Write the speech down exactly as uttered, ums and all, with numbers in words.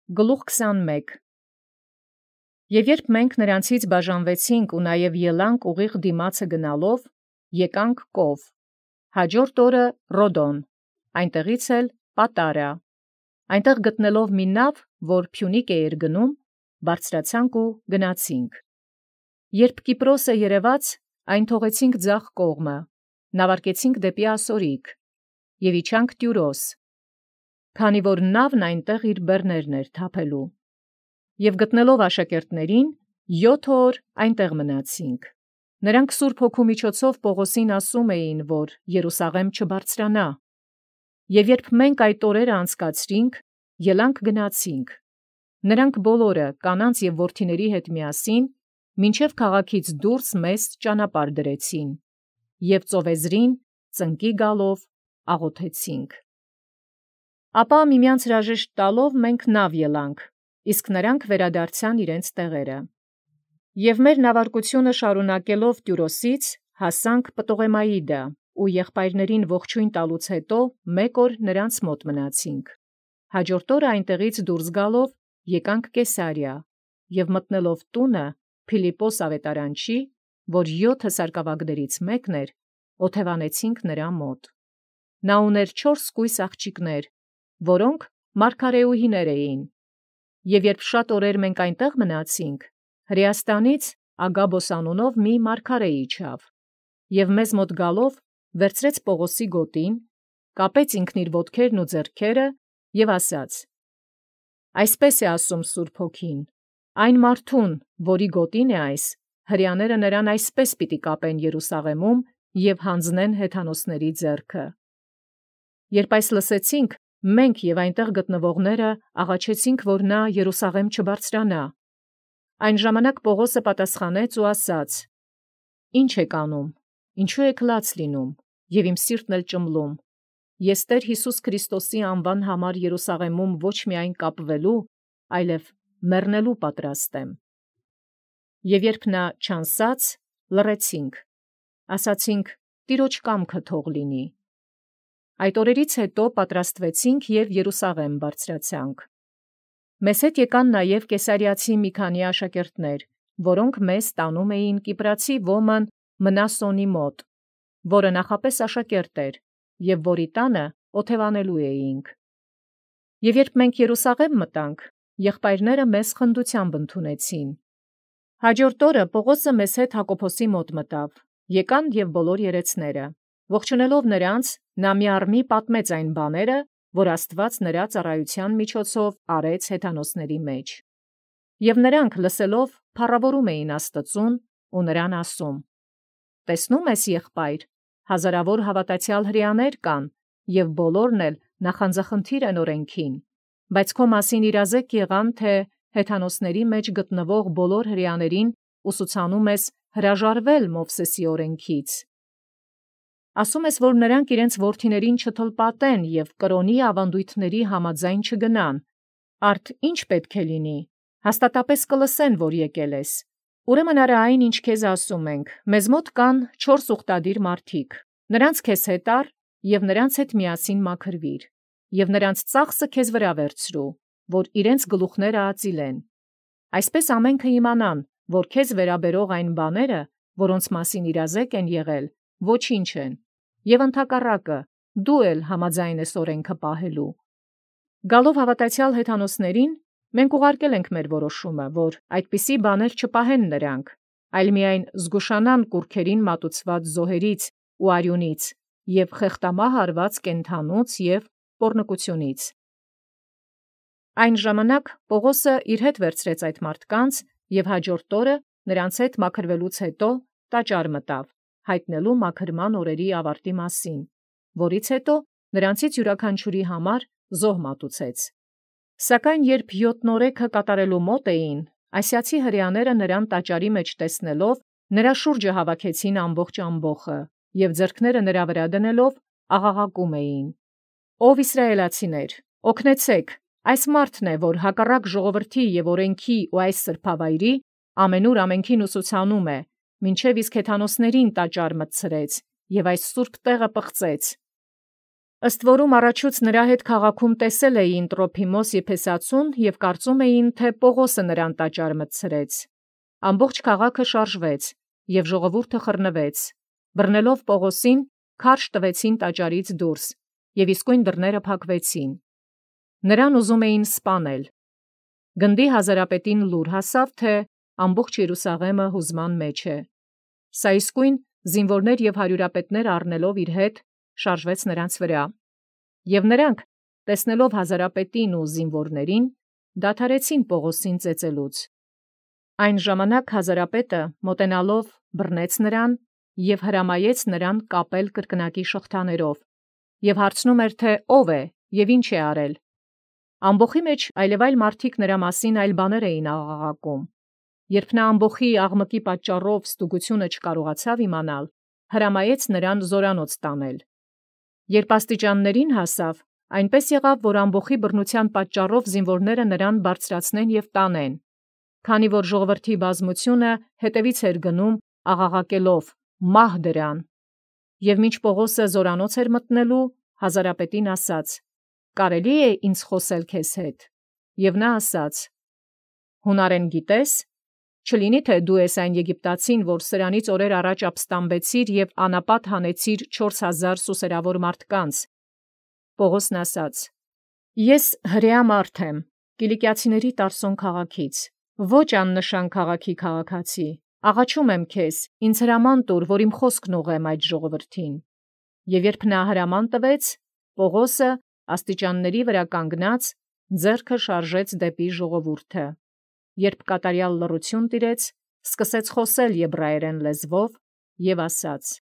Գլուխ քսանմեկ Եւ երբ մենք նրանցից բաժանվեցինք և նաև ելանք ուղիղ դիմացը գնալով, եկանք Կով, հաջորդ օրը Ռոդոն, այնտեղից էլ Պատարա, այնտեղ գտնելով մի նավ, որ Փյունիկ էր գնում, բարձրացանք ու գնացինք։ Երբ Կիպրոսը երևաց, այն թողեցինք ձախ կողմը, նավարկեցինք դեպի Ասորիկ և իջանք Տիւրոս, քանի որ նավն այնտեղ իր բեռներն էր թափելու։ Եւ գտնելով աշակերտներին, յոթ օր այնտեղ մնացինք։ Նրանք Սուրբ Հոգու միջոցով Պողոսին ասում էին, որ Երուսաղեմ չբարձրանա։ Եւ երբ մենք այդ օրերը անցկացրինք, ելանք գնացինք։ Նրանք բոլորը կանանց եւ որդիների հետ միասին մինչև քաղաքից դուրս մեզ ճանապարհ դրեցին, եւ ծովեզրին ծնկի գալով աղոթեցինք։ Ապա միմյանց հրաժեշտ տալով մենք նավ ելանք, իսկ նրանք վերադարձան իրենց տեղերը։ Եւ մեր նավարկությունը շարունակելով Տիւրոսից հասանք Պտողեմաիդա, ու եղբայրներին ողջույն տալուց հետո մեկ օր նրանց մոտ մնացինք։ Հաջորդ օրը այնտեղից դուրս գալով եկանք Կեսարիա և մտնելով տունը Փիլիպպոս ավետարանչի, որ յոթը սարկավագներից մեկն էր, օթևանեցինք նրա մոտ։ Նա ուներ չորս կույս աղջիկներ, որոնք մարգարեուհիներ էին։ Եւ երբ շատ օրեր մենք այնտեղ մնացինք, Հրեաստանից Ագաբոս անունով մի մարգարե իջավ, և մեզ մոտ գալով վերցրեց Պողոսի գոտին, կապեց ինքն իր ոտքերն ու ձեռքերը և ասաց. «Այսպես է ասում Սուրբ Հոգին. այն մարդուն, որի գոտին է այս, հրեաները նրան այսպես պիտի կապեն Երուսաղեմում և հանձնեն հեթանոսների ձեռքը»։ Երբ այս լսեցինք, մենք և այնտեղ գտնվողները աղաչեցինք, որ նա Երուսաղեմ չբարձրանա։ Այն ժամանակ Պողոսը պատասխանեց ու ասաց. «Ի՞նչ եք անում, ինչու եք լաց լինում, և իմ սիրտն էլ ճմլում. ես Տեր Յիսուս Քրիստոսի անվան համար Երուսաղեմում ոչ միայն կապվելու, այլև մեռնելու պատրաստ եմ»։ Եւ երբ նա չանցած, լռեցինք, ասացինք. «Տիրոջ կամքը թող լինի»։ Այդ օրերից հետո պատրաստվեցինք և Երուսաղեմ բարձրացանք։ Մեզ հետ եկան նաև կեսարիացի մի քանի աշակերտներ, որոնք մեզ տանում էին Կիպրացի Ոմն Մնասոնի մոտ, որը նախապես աշակերտ էր, և որի տանը օթևանելու էինք։ Եւ երբ մենք Երուսաղեմ մտանք, եղբայրները մեզ խնդությամբ ընդունեցին։ Հաջորդ օրը Պողոսը մեզ հետ Հակոբոսի մոտ մտավ, եկան և բոլոր երեցները։ Ողջունելով նրանց, նա միառմի պատմեց այն բաները, որ Աստուած նրա ծառայության միջոցով արեց հեթանոսների մեջ։ Եւ նրանք լսելով փառաւորում էին Աստծուն ու նրան ասում. «Տեսնո՞ւմ ես, եղբայր, հազարավոր հաւատացեալ հրեաներ կան, և բոլորն էլ նախանձախնդիր են օրենքին, բայց քո մասին իրազեկ եղան, թե հեթանոսների մեջ գտնվող բոլոր հրեաներին ուսուցանում ես հրաժարվել Մովսեսի օրենքից։ Ասում ես, որ նրանք իրենց որդիներին չթլպատեն և կրոնի ավանդույթների համաձայն չգնան։ Արդ ի՞նչ պետք է լինի. հաստատապես կլսեն, որ եկել ես։ Ուրեմն արա այն, ինչ քեզ ասում ենք. մեզ մոտ կան չորս ուխտադիր մարդիկ, նրանց քեզ հետ առ և նրանց հետ միասին մաքրվիր, և նրանց ծախսը քեզ վրա վերցրու, որ իրենց գլուխները ածիլեն։ Այսպես ամենքը իմանան, որ քեզ վերաբերող այն բաները, որոնց մասին իրազեկ են եղել, ոչինչ են, և ընդհակառակը դու էլ համաձայն ես օրենքը պահելու։ Գալով հավատացյալ հեթանոսներին, մենք ուղարկել ենք մեր որոշումը, որ այդպիսի բաներ չպահեն նրանք, այլ միայն զգուշանան կուռքերին մատուցված զոհերից ու արյունից և խեղդամահ արված կենդանուց և պոռնկությունից։ Այն ժամանակ Պողոսը իր հետ վերցրեց այդ մարդկանց և հաջորդ օրը նրանց հետ մաքրվելուց հետո տաճար մտավ, հայտնելու մաքրման օրերի ավարտի մասին, որից հետո նրանցից յուրաքանչյուրի համար զոհ մատուցեց։ Սակայն երբ յոթնորեքը կատարելու մոտ էին, ասիացի հրեաները նրան տաճարի մեջ տեսնելով, նրա շուրջը հավաքեցին ամբողջ ամբոխը և ձեռքները նրա վրա դնելով աղաղակում էին. «Ով Իսրայելացիներ, օգնեցե՛ք, այս մարդն է, որ հակառակ ժողովրդի և օրենքի ու այս սրբավայրի ամենուր ամենքին ուսուցանում է, մինչև իսկ հեթանոսներին տաճար մտցրեց և այս սուրբ տեղը պղծեց»։ Ըստ որում առաջուց նրա հետ քաղաքում տեսել էին Տրոփիմոս Եփեսացուն և կարծում էին, թե Պողոսը նրան տաճար մտցրեց։ Ամբողջ քաղաքը շարժվեց, և ժողովուրդը խռնվեց, բռնելով Պողոսին, քարշ տվեցին տաճարից դուրս, և իսկույն դռները փակվեցին։ Նրան ուզում էին սպանել։ Գնդի հազարապետին լուր հասավ, թե ամբողջ Երուսաղեմը հուզման մեջ է։ Սա իսկույն զինվորներ և հարյուրապետներ առնելով իր հետ, շարժվեց նրանց վրա։ Եւ նրանք, տեսնելով հազարապետին ու զինվորներին, դադարեցին Պողոսին ծեծելուց։ Այն ժամանակ հազարապետը մոտենալով բռնեց նրան և հրամայեց նրան կապել կրկնակի շղթաներով, և հարցնում էր, թե ով է և ինչ է արել։ Ամբոխի մեջ այլևայլ մարդիկ նրա մասին այլ բաներ էին աղաղակում։ Երբ նա ամբոխի աղմկի պատճառով ստուգությունը չկարողացավ իմանալ, հրամայեց նրան զորանոց տանել։ Երբ աստիճաններին հասավ, այնպես եղավ, որ ամբոխի բռնության պատճառով զինվորները նրան բարձրացնեն և տանեն, քանի որ ժողովրդի բազմությունը հետևից էր գնում աղաղակելով. «Մահ դրան»։ Եվ մինչ Պողոսը զորանոց էր մտնելու, հազարապետին ասաց. «Կարելի է ինձ խոսել քեզ հետ»։ Եւ նա ասաց. «Հունարեն գիտե՞ս. չլինի թե դու ես այն Եգիպտացին, որ սրանից օրեր առաջ ապստամբեցիր և անապատ հանեցիր չորս հազար սուսերավոր մարդկանց։ Պողոսն ասաց. Ես հրեա մարդ եմ, Կիլիկիացիների Տարսոն քաղաքից, ոչ աննշան քաղաքի քաղաքացի, աղաչում եմ քեզ, ինձ հրաման տուր, որ իմ խոսքն ուղղեմ այդ ժողովրդին։ Եվ երբ նա հրաման տվեց, Պողոսը աստիճանների վրա կանգնած ձեռքը շարժեց դեպի ժողովուրդը։ Երբ կատարյալ լռություն տիրեց, սկսեց խոսել եբրայերեն լեզվով և ասաց.